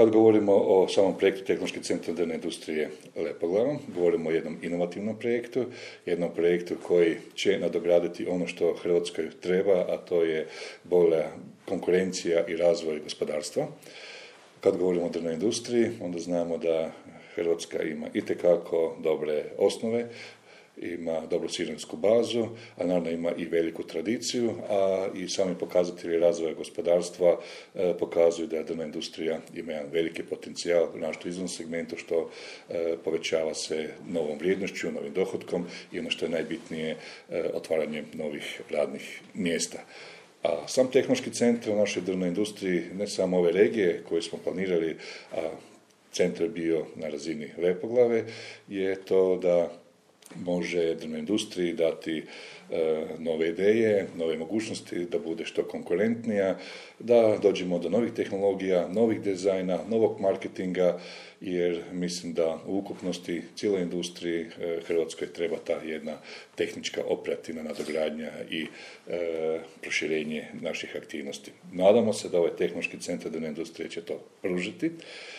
Kad govorimo o samom projektu Tehnološki centar drvne industrije Lepoglava, govorimo o jednom inovativnom projektu, jednom projektu koji će nadograditi ono što Hrvatskoj treba, a to je bolja konkurencija i razvoj gospodarstva. Kad govorimo o drvnoj industriji, onda znamo da Hrvatska ima itekako dobre osnove, ima dobru sirovinsku bazu, a naravno ima i veliku tradiciju, a i sami pokazatelji razvoja gospodarstva pokazuju da drvna industrija ima jedan veliki potencijal u našem izvoznom segmentu, što povećava se novom vrijednošću, novim dohotkom i ono što je najbitnije, otvaranjem novih radnih mjesta. A sam tehnološki centar u našoj drvnoj industriji, ne samo ove regije koje smo planirali, a centar bio na razini Lepoglave, je to da može drvnoj industriji dati nove ideje, nove mogućnosti, da bude što konkurentnija, da dođemo do novih tehnologija, novih dizajna, novog marketinga, jer mislim da u ukupnosti cijeloj industriji Hrvatskoj treba ta jedna tehnička operativna nadogradnja i proširenje naših aktivnosti. Nadamo se da ovaj tehnološki centar drvne industrije će to pružiti.